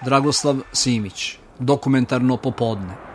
Dragoslav Simić, Dokumentarno popodne.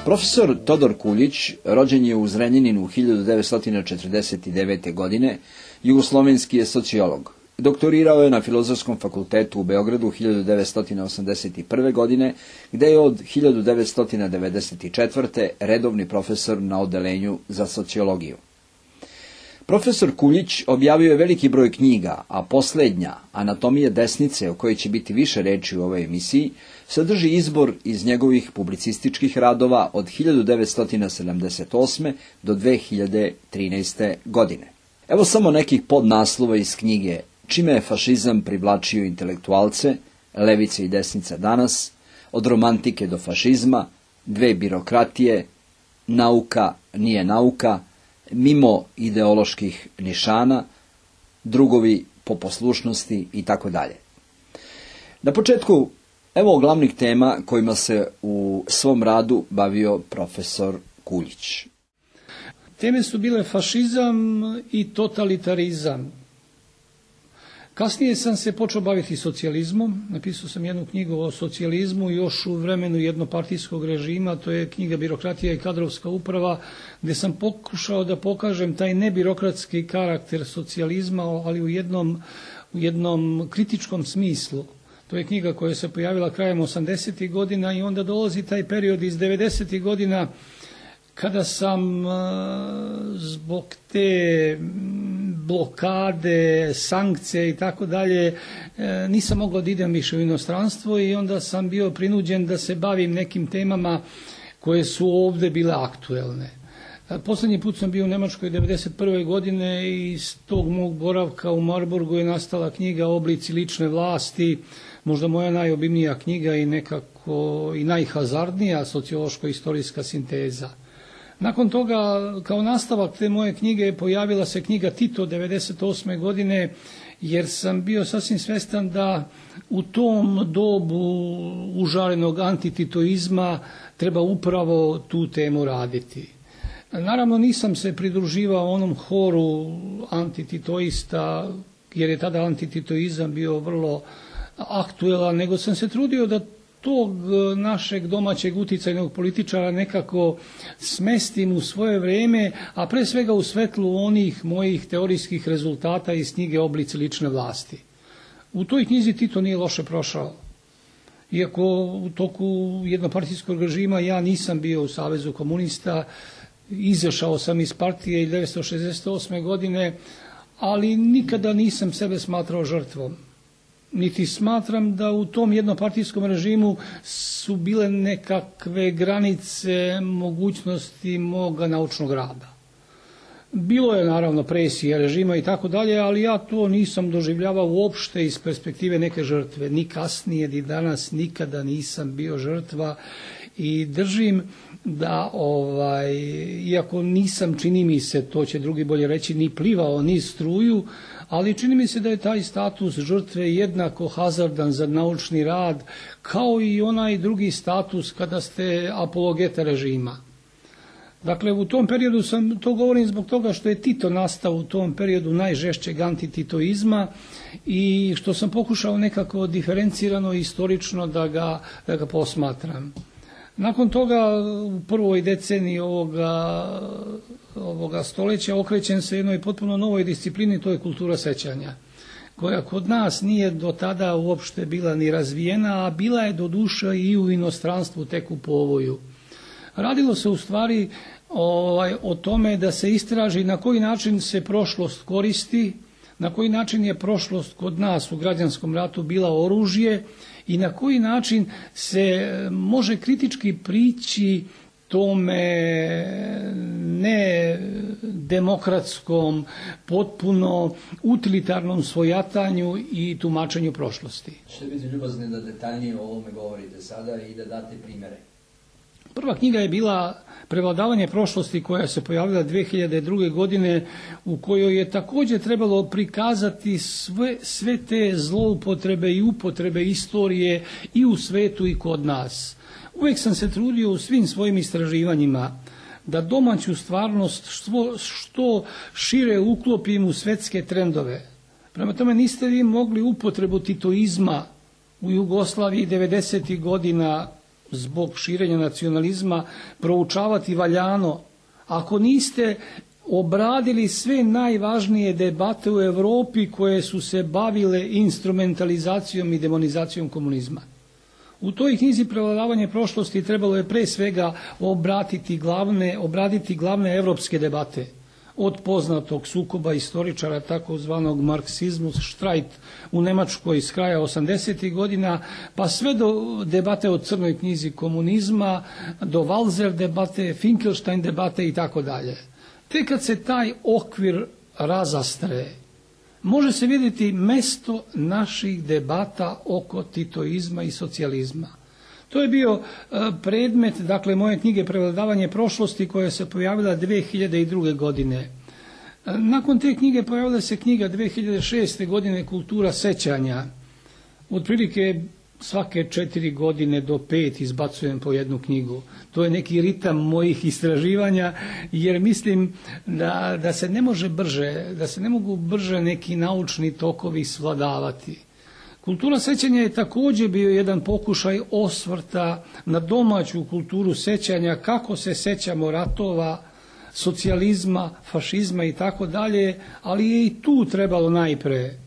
Profesor Todor Kuljić rođen je u Zrenjaninu 1949. godine, jugoslovenski je sociolog. Doktorirao je na Filozofskom fakultetu u Beogradu 1981. godine, gde je od 1994. redovni profesor na odeljenju za sociologiju. Profesor Kuljić objavio je veliki broj knjiga, a poslednja, Anatomija desnice, o kojoj će biti više reči u ovoj emisiji, sadrži izbor iz njegovih publicističkih radova od 1978. do 2013. godine. Evo samo nekih podnaslova iz knjige Čime je fašizam privlačio intelektualce, Levica i desnica danas, Od romantike do fašizma, Dve birokratije, Nauka nije nauka, Mimo ideoloških nišana, Drugovi po poslušnosti i tako dalje. Na početku, evo glavnih tema kojima se u svom radu bavio profesor Kuljić. Teme su bile fašizam i totalitarizam. Kasnije sam se počeo baviti socijalizmom. Napisao sam jednu knjigu o socijalizmu još u vremenu jednopartijskog režima, to je knjiga Birokratija i kadrovska uprava, gdje sam pokušao da pokažem taj nebirokratski karakter socijalizma, ali u jednom kritičkom smislu. To je knjiga koja se pojavila krajem 80. godina i onda dolazi taj period iz 90. godina kada sam zbog te blokade, sankcije i tako dalje nisam mogao da idem više u inostranstvo i onda sam bio prinuđen da se bavim nekim temama koje su ovdje bile aktuelne. Posljednji put sam bio u Nemačkoj 1991. godine i iz tog mog boravka u Marburgu je nastala knjiga Oblici lične vlasti, možda moja najobimnija knjiga i nekako i najhazardnija sociološko-istorijska sinteza. Nakon toga, kao nastavak te moje knjige, pojavila se knjiga Tito 1998. godine, jer sam bio sasvim svestan da u tom dobu užarenog antititoizma treba upravo tu temu raditi. Naravno, nisam se pridruživao onom horu antititoista, jer je tada antititoizam bio vrlo aktuelan, nego sam se trudio da tog našeg domaćeg uticajnog političara nekako smestim u svoje vrijeme, a pre svega u svetlu onih mojih teorijskih rezultata iz knjige Oblici lične vlasti. U toj knjizi Tito nije loše prošao. Iako u toku jednopartijskog režima ja nisam bio u Savezu komunista, izašao sam iz partije 1968. godine, ali nikada nisam sebe smatrao žrtvom. Niti smatram da u tom jednopartijskom režimu su bile nekakve granice mogućnosti moga naučnog rada. Bilo je naravno presija režima i tako dalje, ali ja to nisam doživljavao uopšte iz perspektive neke žrtve. Ni kasnije, ni danas, nikada nisam bio žrtva i držim da, iako nisam, čini mi se, to će drugi bolje reći, ni plivao, ni struju, ali čini mi se da je taj status žrtve jednako hazardan za naučni rad, kao i onaj drugi status kada ste apologeta režima. Dakle, u tom periodu to govorim zbog toga što je Tito nastao u tom periodu najžešćeg antititoizma i što sam pokušao nekako diferencirano i istorično da ga posmatram. Nakon toga, u prvoj deceniji ovoga stoljeća okrećem se jednoj potpuno novoj disciplini, to je kultura sećanja, koja kod nas nije do tada uopšte bila ni razvijena, a bila je do duša i u inostranstvu tek u povoju. Radilo se u stvari o tome da se istraži na koji način se prošlost koristi, na koji način je prošlost kod nas u građanskom ratu bila oružje i na koji način se može kritički prići tome ne demokratskom, potpuno utilitarnom svojatanju i tumačenju prošlosti. Što biti ljubazni da detaljnije o ovome govorite sada i da date primjere? Prva knjiga je bila Prevladavanje prošlosti, koja se pojavila 2002. godine, u kojoj je također trebalo prikazati sve te zloupotrebe i upotrebe istorije i u svetu i kod nas. Uvijek sam se trudio u svim svojim istraživanjima da domaću stvarnost što šire uklopim u svetske trendove. Prema tome niste vi mogli upotrebu titoizma u Jugoslaviji 90. godina zbog širenja nacionalizma proučavati valjano ako niste obradili sve najvažnije debate u Europi koje su se bavile instrumentalizacijom i demonizacijom komunizma. U toj knjizi Prevladavanje prošlosti trebalo je pre svega obraditi glavne evropske debate, od poznatog sukoba istoričara takozvanog marksizmu, štrajt u Nemačkoj s kraja 80. godina, pa sve do debate o crnoj knjizi komunizma, do Walzer debate, Finkelstein debate i tako dalje. Tek kad se taj okvir razastre, može se vidjeti mesto naših debata oko titoizma i socijalizma. To je bio predmet, dakle, moje knjige Prevladavanje prošlosti, koja se pojavila 2002. godine. Nakon te knjige pojavila se knjiga 2006. godine Kultura sećanja. Otprilike svake 4 godine do 5 izbacujem po jednu knjigu. To je neki ritam mojih istraživanja, jer mislim da se ne može brže, da se ne mogu brže neki naučni tokovi svladavati. Kultura sećanja je također bio jedan pokušaj osvrta na domaću kulturu sećanja, kako se sećamo ratova, socijalizma, fašizma i tako dalje, ali je i tu trebalo najpre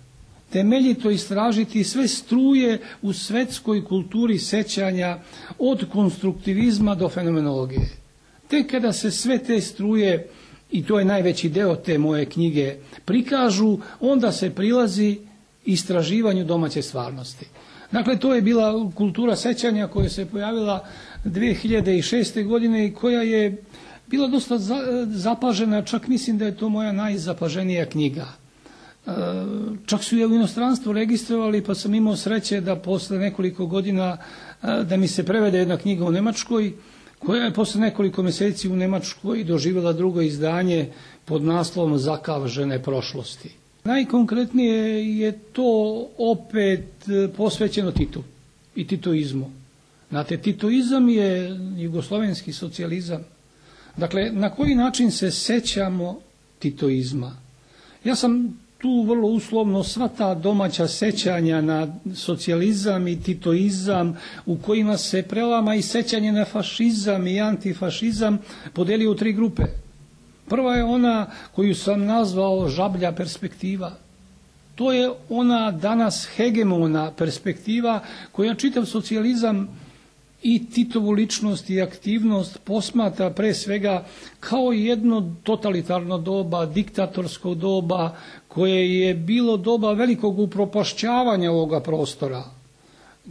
temeljito istražiti sve struje u svetskoj kulturi sećanja, od konstruktivizma do fenomenologije. Tek kada se sve te struje, i to je najveći deo te moje knjige, prikažu, onda se prilazi istraživanju domaće stvarnosti. Dakle, to je bila kultura sećanja koja se pojavila 2006. godine i koja je bila dosta zapažena, čak mislim da je to moja najzapaženija knjiga. Čak su je u inostranstvu registrovali, pa sam imao sreće da posle nekoliko godina da mi se prevede jedna knjiga u Nemačkoj, koja je posle nekoliko mjeseci u Nemačkoj doživjela drugo izdanje pod naslovom Zakav žene prošlosti. Najkonkretnije je to opet posvećeno Titu i titoizmu. Znate, titoizam je jugoslovenski socijalizam. Dakle, na koji način se sećamo titoizma? Ja sam tu vrlo uslovno sva ta domaća sećanja na socijalizam i titoizam, u kojima se prelama i sećanje na fašizam i antifašizam, podelio u 3 grupe. Prva je ona koju sam nazvao žablja perspektiva. To je ona danas hegemona perspektiva koja čitav socijalizam i Titovu ličnost i aktivnost posmatra pre svega kao jedno totalitarno doba, diktatorsko doba, koje je bilo doba velikog upropašćavanja ovoga prostora.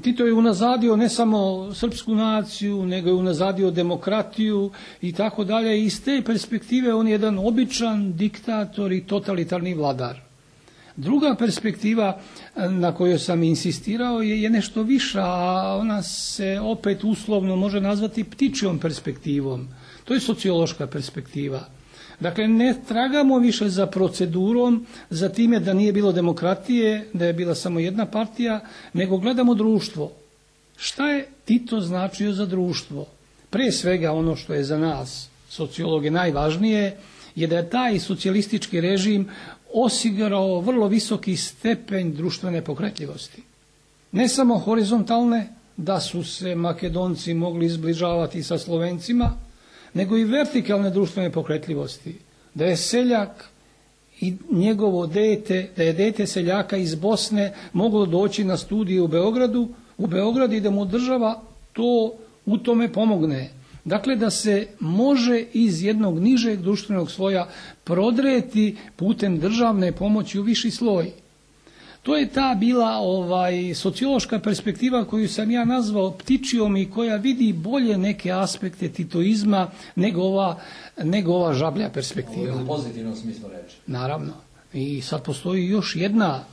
Tito je unazadio ne samo srpsku naciju, nego je unazadio demokratiju i tako dalje. Iz te perspektive on je jedan običan diktator i totalitarni vladar. Druga perspektiva na kojoj sam insistirao je nešto viša, a ona se opet uslovno može nazvati ptičjom perspektivom. To je sociološka perspektiva. Dakle, ne tragamo više za procedurom, za time da nije bilo demokratije, da je bila samo jedna partija, nego gledamo društvo. Šta je Tito značio za društvo? Pre svega ono što je za nas, sociologe, najvažnije, je da je taj socijalistički režim osigurao vrlo visoki stepen društvene pokretljivosti. Ne samo horizontalne, da su se Makedonci mogli izbližavati sa Slovencima, nego i vertikalne društvene pokretljivosti. Da je seljak i njegovo dete, da je dete seljaka iz Bosne moglo doći na studije u Beograd i da mu država to u tome pomogne. Dakle, da se može iz jednog nižeg društvenog sloja prodreti putem državne pomoći u viši sloj. To je ta bila sociološka perspektiva koju sam ja nazvao ptičijom i koja vidi bolje neke aspekte titoizma nego ova žablja perspektiva. Ovo je u pozitivnom smislu reči. Naravno. I sad postoji još jedna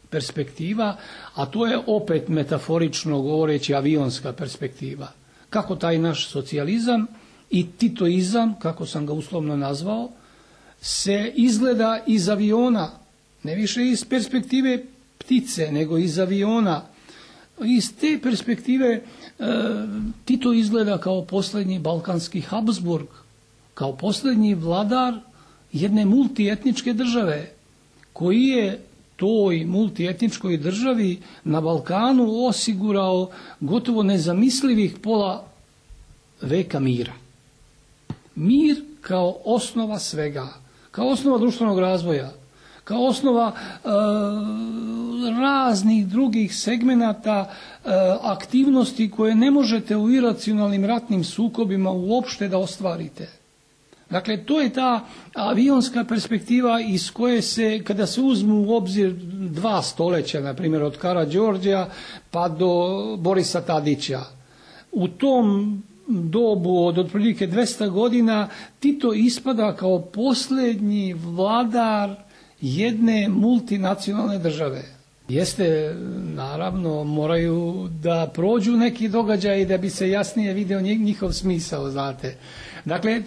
perspektiva, a to je opet metaforično govoreći avionska perspektiva. Kako taj naš socijalizam i titoizam, kako sam ga uslovno nazvao, se izgleda iz aviona, ne više iz perspektive ptice, nego iz aviona. Iz te perspektive Tito izgleda kao posljednji balkanski Habsburg, kao posljednji vladar jedne multietničke države, koji je toj multietničkoj državi na Balkanu osigurao gotovo nezamislivih pola veka mira. Mir kao osnova svega, kao osnova društvenog razvoja, kao osnova raznih drugih segmenata aktivnosti koje ne možete u iracionalnim ratnim sukobima uopšte da ostvarite. Dakle, to je ta avionska perspektiva iz koje se, kada se uzmu u obzir 2 stoljeća, na primjer od Karađorđa pa do Borisa Tadića, u tom dobu od otprilike 200 godina Tito ispada kao posljednji vladar jedne multinacionalne države. Jeste, naravno, moraju da prođu neki događaji da bi se jasnije video njihov smisao, znate. Dakle,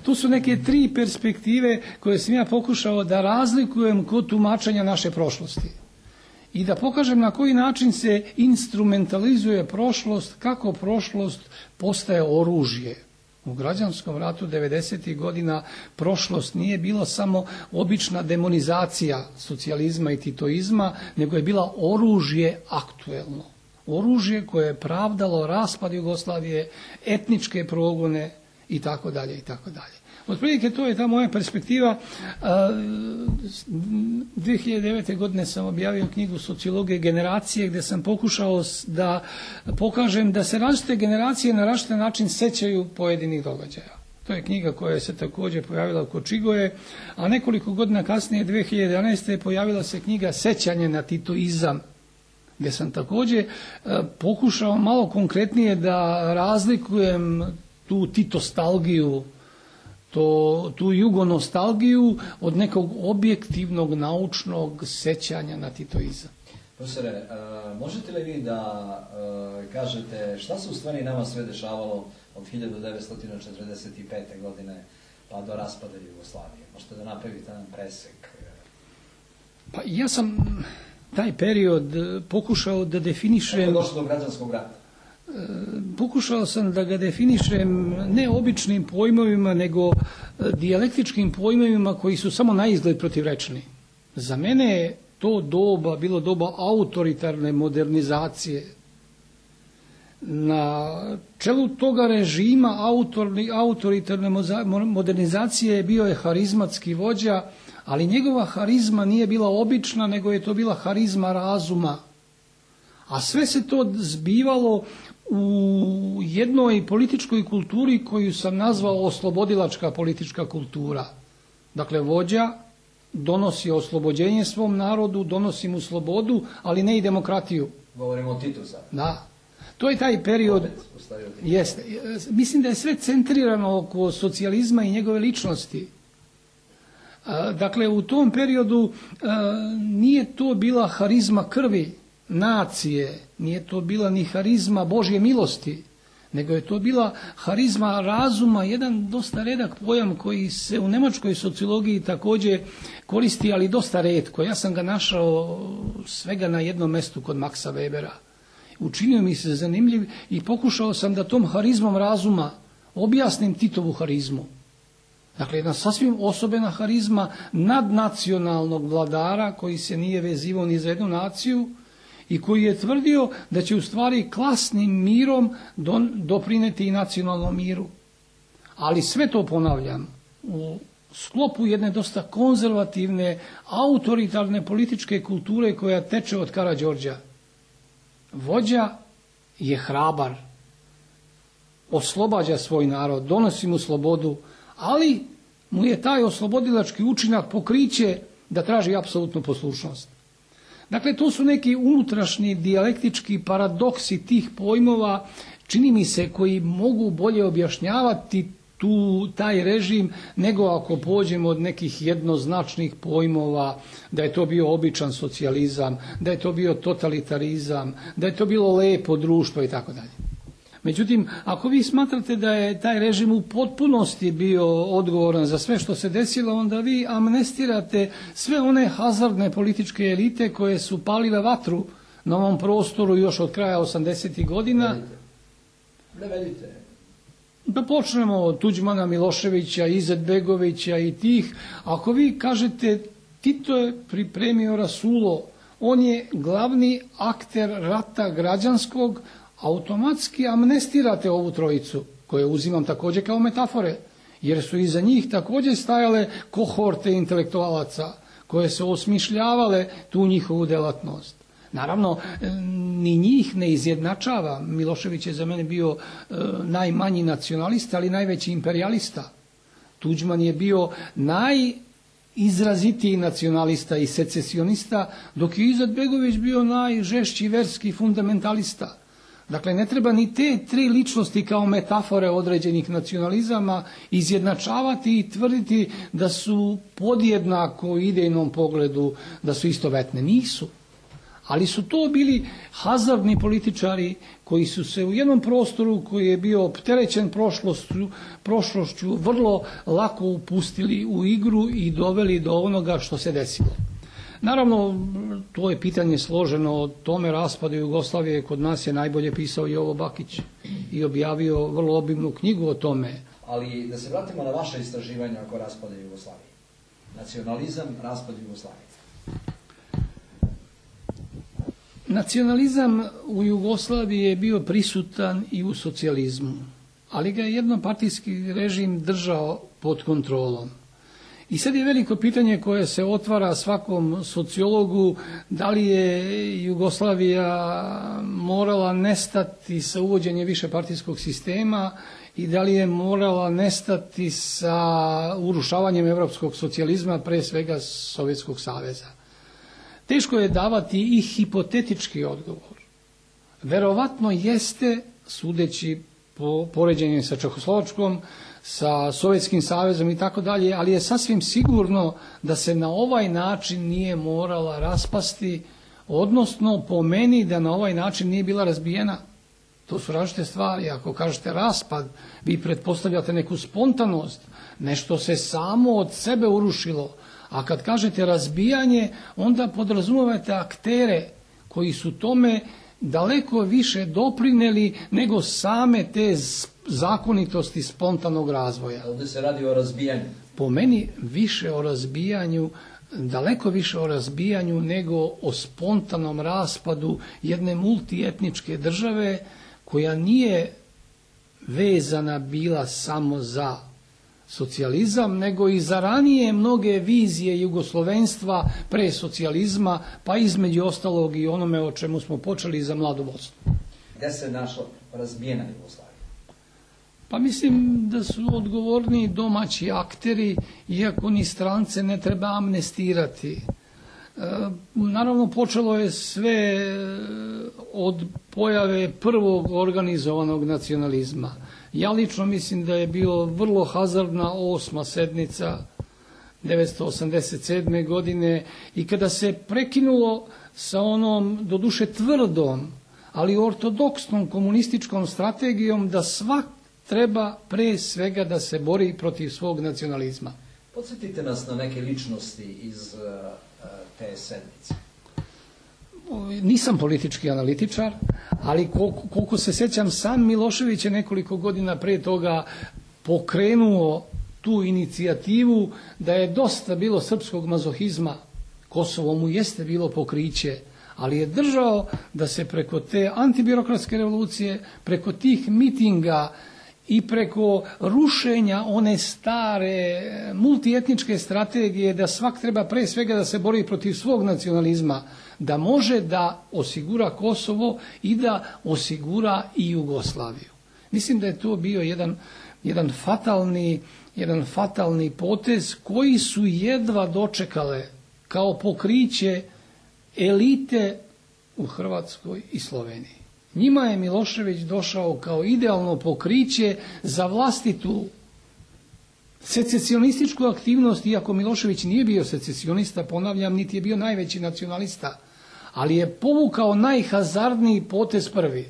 to su neke 3 perspektive koje sam ja pokušao da razlikujem kod tumačenja naše prošlosti. I da pokažem na koji način se instrumentalizuje prošlost, kako prošlost postaje oružje. U građanskom ratu 90. godina prošlost nije bila samo obična demonizacija socijalizma i titoizma, nego je bila oružje aktuelno. Oružje koje je pravdalo raspad Jugoslavije, etničke progone i tako dalje i tako dalje. Otprilike to je ta moja perspektiva. 2009. godine sam objavio knjigu Sociologije generacije, gdje sam pokušao da pokažem da se različite generacije na različit način sećaju pojedinih događaja. To je knjiga koja se također pojavila kod Čigoje, a nekoliko godina kasnije, 2011. pojavila se knjiga Sećanje na titoizam, gdje sam također pokušao malo konkretnije da razlikujem tu titostalgiju, tu jugonostalgiju od nekog objektivnog naučnog sećanja na titoizam. Profesore, možete li vi da kažete šta se u stvari nama sve dešavalo od 1945. godine pa do raspada Jugoslavije? Možete da napravite jedan presek? Pa ja sam taj period pokušao da definišem... Kako je došlo do građanskog rata? Pokušao sam da ga definišem ne običnim pojmovima, nego dijalektičkim pojmovima koji su samo naizgled protivrečni. Za mene je to doba bilo doba autoritarne modernizacije. Na čelu toga režima autoritarne modernizacije bio je harizmatski vođa, ali njegova harizma nije bila obična, nego je to bila harizma razuma. A sve se to zbivalo u jednoj političkoj kulturi koju sam nazvao oslobodilačka politička kultura. Dakle, vođa donosi oslobođenje svom narodu, donosi mu slobodu, ali ne i demokratiju. Govorimo o Titu sad. Da. To je taj period. Jeste. Mislim da je sve centrirano oko socijalizma i njegove ličnosti. Dakle, u tom periodu nije to bila harizma krvi nacije, nije to bila ni harizma Božje milosti, nego je to bila harizma razuma, jedan dosta redak pojam koji se u nemačkoj sociologiji također koristi, ali dosta retko. Ja sam ga našao svega na jednom mjestu kod Maxa Webera. Učinio mi se zanimljiv i pokušao sam da tom harizmom razuma objasnim Titovu harizmu. Dakle, jedna sasvim osobena harizma nadnacionalnog vladara koji se nije vezivao ni za jednu naciju i koji je tvrdio da će u stvari klasnim mirom doprineti i nacionalnom miru. Ali sve to, ponavljam, u sklopu jedne dosta konzervativne, autoritarne političke kulture koja teče od Karađorđa. Vođa je hrabar, oslobađa svoj narod, donosi mu slobodu, ali mu je taj oslobodilački učinak pokriće da traži apsolutnu poslušnost. Dakle, to su neki unutrašnji dijalektički paradoksi tih pojmova, čini mi se, koji mogu bolje objašnjavati taj režim nego ako pođemo od nekih jednoznačnih pojmova da je to bio običan socijalizam, da je to bio totalitarizam, da je to bilo lepo društvo i tako dalje. Međutim, ako vi smatrate da je taj režim u potpunosti bio odgovoran za sve što se desilo, onda vi amnestirate sve one hazardne političke elite koje su palile vatru na ovom prostoru još od kraja 80. godina. Navedite. Da počnemo od Tuđmana, Miloševića, Izetbegovića i tih. Ako vi kažete Tito je pripremio rasulo, on je glavni akter rata građanskog, automatski amnestirate ovu trojicu, koje uzimam također kao metafore, jer su iza njih također stajale kohorte intelektualaca koje su osmišljavale tu njihovu delatnost. Naravno, ni njih ne izjednačava. Milošević je za mene bio najmanji nacionalista, ali najveći imperialista. Tuđman je bio najizrazitiji nacionalista i secesionista, dok je Izetbegović bio najžešći verski fundamentalista. Dakle, ne treba ni te tri ličnosti kao metafore određenih nacionalizama izjednačavati i tvrditi da su podjednako u idejnom pogledu, da su istovetne. Nisu. Ali su to bili hazardni političari koji su se u jednom prostoru koji je bio opterećen prošlošću vrlo lako upustili u igru i doveli do onoga što se desilo. Naravno, to je pitanje složeno. O tome raspadu Jugoslavije kod nas je najbolje pisao Jovo Bakić i objavio vrlo obimnu knjigu o tome. Ali da se vratimo na vaše istraživanja oko raspada Jugoslavije. Nacionalizam, raspad Jugoslavije. Nacionalizam u Jugoslaviji je bio prisutan i u socijalizmu, ali ga je jednopartijski režim držao pod kontrolom. I sad je veliko pitanje koje se otvara svakom sociologu, da li je Jugoslavija morala nestati sa uvođenjem višepartijskog sistema i da li je morala nestati sa urušavanjem europskog socijalizma, pre svega Sovjetskog saveza. Teško je davati i hipotetički odgovor. Verovatno jeste, sudeći po poređenju sa Čehoslovačkom, sa Sovjetskim savezom i tako dalje, ali je sasvim sigurno da se na ovaj način nije morala raspasti, odnosno po meni da na ovaj način nije bila razbijena. To su različite stvari. Ako kažete raspad, vi pretpostavljate neku spontanost, nešto se samo od sebe urušilo. A kad kažete razbijanje, onda podrazumijevate aktere koji su tome daleko više doprinijeli nego same te zakonitosti spontanog razvoja. Ovdje se radi o razbijanju. Po meni više o razbijanju, daleko više o razbijanju nego o spontanom raspadu jedne multietničke države koja nije vezana bila samo za socijalizam, nego i za ranije mnoge vizije jugoslovenstva pre socijalizma, pa između ostalog i onome o čemu smo počeli za mladu Bosnu. Gde se našla razbijena Jugoslavija? Pa mislim da su odgovorni domaći akteri, iako ni strance ne treba amnestirati. Naravno, počelo je sve od pojave prvog organizovanog nacionalizma. Ja lično mislim da je bilo vrlo hazardna 8. sednica 1987. godine i kada se prekinulo sa onom, doduše tvrdom, ali ortodoksnom komunističkom strategijom da svak treba pre svega da se bori protiv svog nacionalizma. Podsjetite nas na neke ličnosti iz te sedmice. Nisam politički analitičar, ali koliko se sjećam, sam Milošević je nekoliko godina pre toga pokrenuo tu inicijativu da je dosta bilo srpskog mazohizma. Kosovo mu jeste bilo pokriće, ali je držao da se preko te antibirokratske revolucije, preko tih mitinga i preko rušenja one stare multietničke strategije da svak treba pre svega da se bori protiv svog nacionalizma, da može da osigura Kosovo i da osigura i Jugoslaviju. Mislim da je to bio jedan fatalni potez koji su jedva dočekale kao pokriće elite u Hrvatskoj i Sloveniji. Njima je Milošević došao kao idealno pokriće za vlastitu secesionističku aktivnost, iako Milošević nije bio secesionista, ponavljam, niti je bio najveći nacionalista, ali je povukao najhazardniji potez prvi.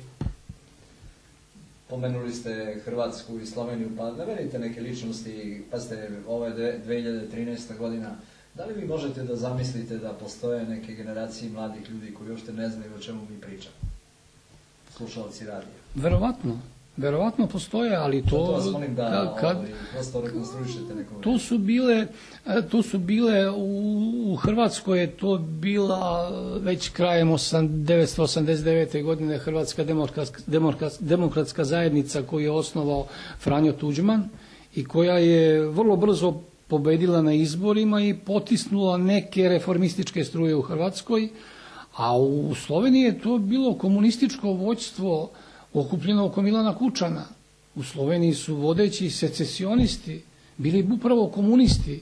Pomenuli ste Hrvatsku i Sloveniju, pa navedite neke ličnosti, pa ste ovo je 2013. godina. Da li vi možete da zamislite da postoje neke generacije mladih ljudi koji uopšte ne znaju o čemu mi pričamo? Slušalci radija. Verovatno postoje, ali to... To vas molim da prosto rekonstruišete nekom. To su bile u Hrvatskoj je to bila već krajem 1989. godine Hrvatska demokratska zajednica koju je osnovao Franjo Tuđman i koja je vrlo brzo pobedila na izborima i potisnula neke reformističke struje u Hrvatskoj, a u Sloveniji je to bilo komunističko vođstvo okupljeno oko Milana Kučana. U Sloveniji su vodeći secesionisti bili upravo komunisti.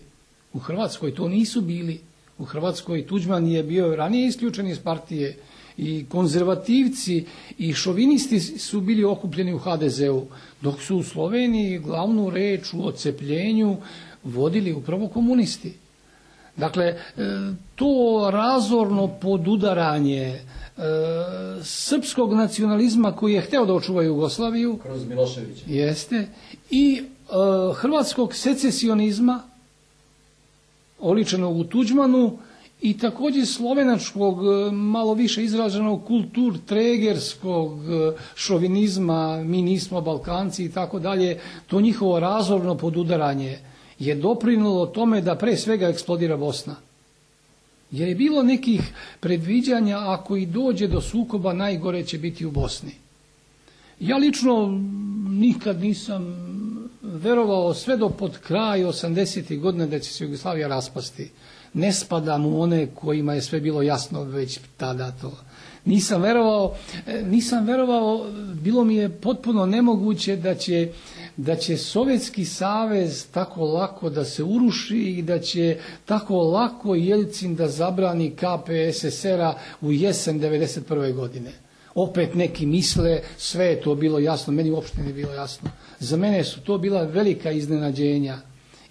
U Hrvatskoj to nisu bili. U Hrvatskoj Tuđman je bio ranije isključen iz partije i konzervativci i šovinisti su bili okupljeni u HDZ-u, dok su u Sloveniji glavnu reč u odcepljenju vodili upravo komunisti. Dakle, to razorno podudaranje srpskog nacionalizma koji je hteo da očuva Jugoslaviju kroz Miloševića jeste i hrvatskog secesionizma oličenog u Tuđmanu i također slovenačkog malo više izraženog kulturtregerskog šovinizma, mi nismo Balkanci i tako dalje. To njihovo razorno podudaranje je doprinilo tome da pre svega eksplodira Bosna. Jer je bilo nekih predviđanja, ako i dođe do sukoba, najgore će biti u Bosni. Ja lično nikad nisam verovao sve do pod kraj 80. godina da će se Jugoslavija raspasti. Ne spadam u one kojima je sve bilo jasno već tada to. Nisam verovao, bilo mi je potpuno nemoguće da će Sovjetski savez tako lako da se uruši i da će tako lako Jeljcin da zabrani KPSSR-a u jesen 1991. godine. Opet neki misle, sve je to bilo jasno, meni uopšte nije bilo jasno. Za mene su to bila velika iznenađenja.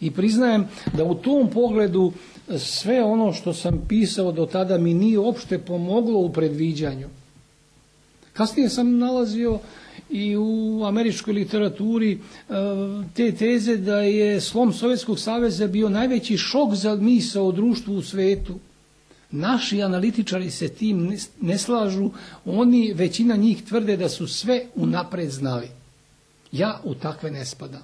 I priznajem da u tom pogledu sve ono što sam pisao do tada mi nije uopšte pomoglo u predviđanju. Kasnije sam nalazio i u američkoj literaturi te teze da je slom Sovjetskog saveza bio najveći šok za misao o društvu u svetu. Naši analitičari se tim ne slažu, oni, većina njih tvrde da su sve unapred znali. Ja u takve ne spadam.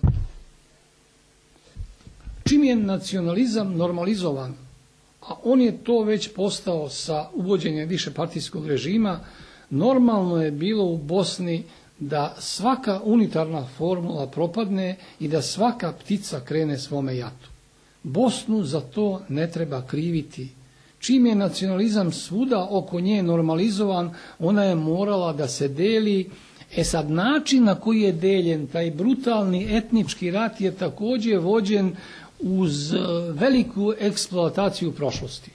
Čim je nacionalizam normalizovan, a on je to već postao sa uvođenjem višepartijskog režima, normalno je bilo u Bosni da svaka unitarna formula propadne i da svaka ptica krene svome jatu. Bosnu za to ne treba kriviti. Čim je nacionalizam svuda oko nje normalizovan, ona je morala da se deli. Sad način na koji je deljen, taj brutalni etnički rat je također vođen uz veliku eksploataciju prošlosti.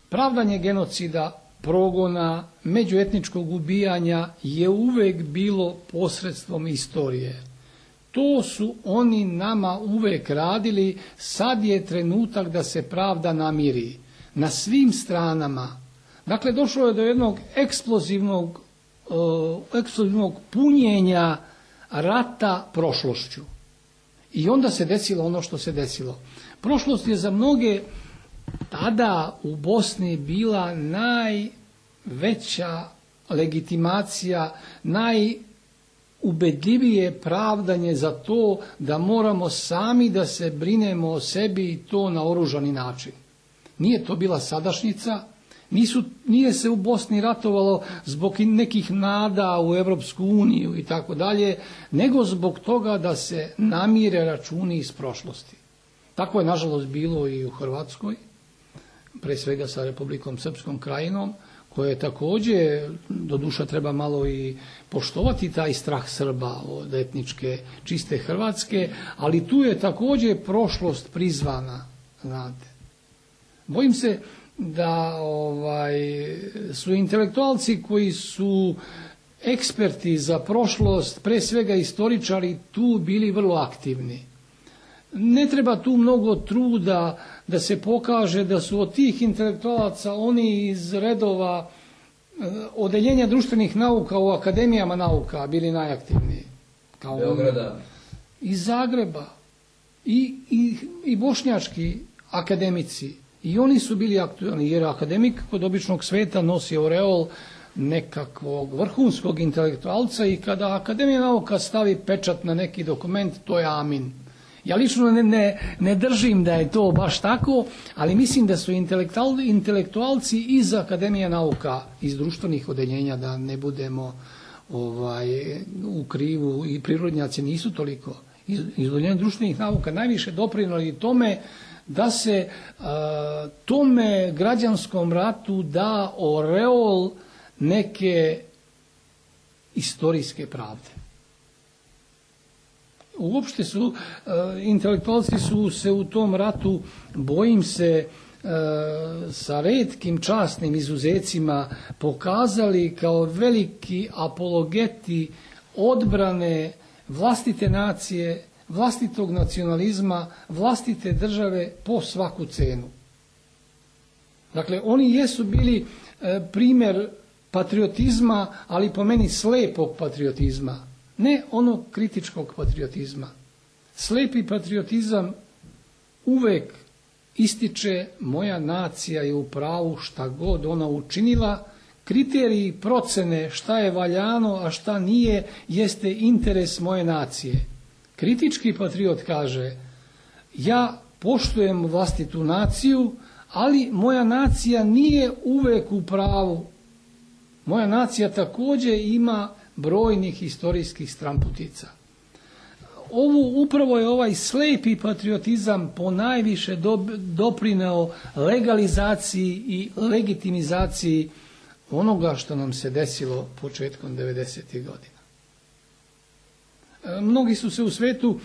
Pravdanje genocida, progona, međuetničkog ubijanja je uvek bilo posredstvom istorije. To su oni nama uvek radili, sad je trenutak da se pravda namiri na svim stranama. Dakle, došlo je do jednog eksplozivnog punjenja rata prošlošću. I onda se desilo ono što se desilo. Prošlost je za mnoge tada u Bosni bila najveća legitimacija, najubedljivije pravdanje za to da moramo sami da se brinemo o sebi i to na oružani način. Nije to bila sadašnjica, nije se u Bosni ratovalo zbog nekih nada u Europsku uniju i tako dalje, nego zbog toga da se namire računi iz prošlosti. Tako je nažalost bilo i u Hrvatskoj, pre svega sa Republikom Srpskom krajinom, koja je također, doduša treba malo i poštovati taj strah Srba od etničke čiste Hrvatske, ali tu je također prošlost prizvana, znate. Bojim se da su intelektualci koji su eksperti za prošlost, pre svega istoričari, tu bili vrlo aktivni. Ne treba tu mnogo truda da se pokaže da su od tih intelektualaca oni iz redova odeljenja društvenih nauka u akademijama nauka bili najaktivniji. Kao Beograda. Iz Zagreba i bošnjački akademici. I oni su bili aktualni, jer akademik kod običnog sveta nosi oreol nekakvog vrhunskog intelektualca i kada Akademija nauka stavi pečat na neki dokument, to je amin. Ja lično ne držim da je to baš tako, ali mislim da su intelektualci iz Akademije nauka, iz društvenih odeljenja, da ne budemo u krivu, i prirodnjaci nisu toliko, iz odeljenja društvenih nauka najviše doprinijeli tome da se tome građanskom ratu da oreol neke istorijske pravde. Uopšte su, intelektualci su se u tom ratu, bojim se, sa retkim časnim izuzecima pokazali kao veliki apologeti odbrane vlastite nacije, vlastitog nacionalizma, vlastite države po svaku cenu. Dakle, oni jesu bili primjer patriotizma, ali po meni slepog patriotizma, ne onog kritičkog patriotizma. Slepi patriotizam uvek ističe moja nacija je u pravu šta god ona učinila, kriteriji procene šta je valjano, a šta nije, jeste interes moje nacije. Kritički patriot kaže, ja poštujem vlastitu naciju, ali moja nacija nije uvek u pravu. Moja nacija također ima brojnih historijskih stramputica. Upravo je ovaj slepi patriotizam ponajviše doprineo legalizaciji i legitimizaciji onoga što nam se desilo početkom 90. godina. Mnogi su se u svetu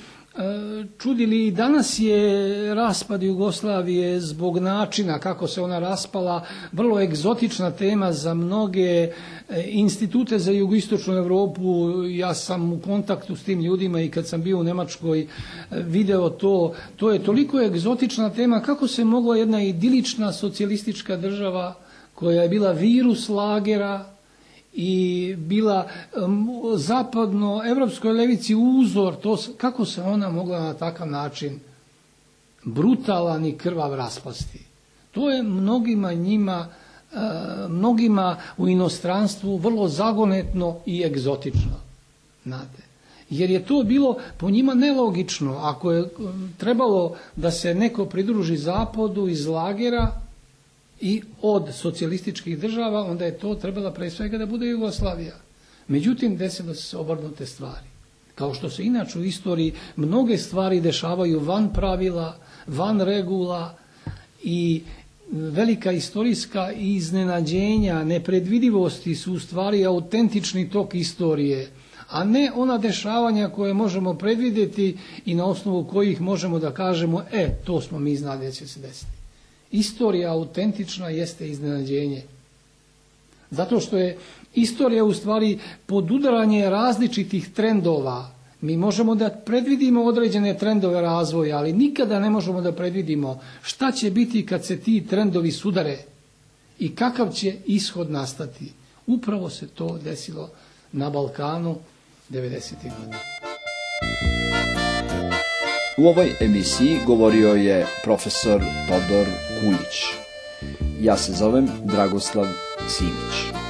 čudili, i danas je raspad Jugoslavije zbog načina kako se ona raspala vrlo egzotična tema za mnoge institute za jugoistočnu Europu. Ja sam u kontaktu s tim ljudima i kad sam bio u Njemačkoj video to je toliko egzotična tema kako se mogla jedna idilična socijalistička država koja je bila virus lagera i bila zapadno evropskoj levici uzor, kako se ona mogla na takav način brutalan i krvav raspasti. To je mnogima u inostranstvu vrlo zagonetno i egzotično. Znate. Jer je to bilo po njima nelogično. Ako je trebalo da se neko pridruži zapadu iz lagera i od socijalističkih država, onda je to trebala pre svega da bude Jugoslavija. Međutim, desilo se obrnute stvari. Kao što se inače u istoriji mnoge stvari dešavaju van pravila, van regula, i velika istorijska iznenađenja, nepredvidivosti su u stvari autentični tok istorije, a ne ona dešavanja koje možemo predvidjeti i na osnovu kojih možemo da kažemo, to smo mi znali da će se desiti. Istorija autentična jeste iznenađenje. Zato što je istorija u stvari podudaranje različitih trendova. Mi možemo da predvidimo određene trendove razvoja, ali nikada ne možemo da predvidimo šta će biti kad se ti trendovi sudare i kakav će ishod nastati. Upravo se to desilo na Balkanu 90. godina. U ovoj emisiji govorio je profesor Todor Kuljić. Ja se zovem Dragoslav Simić.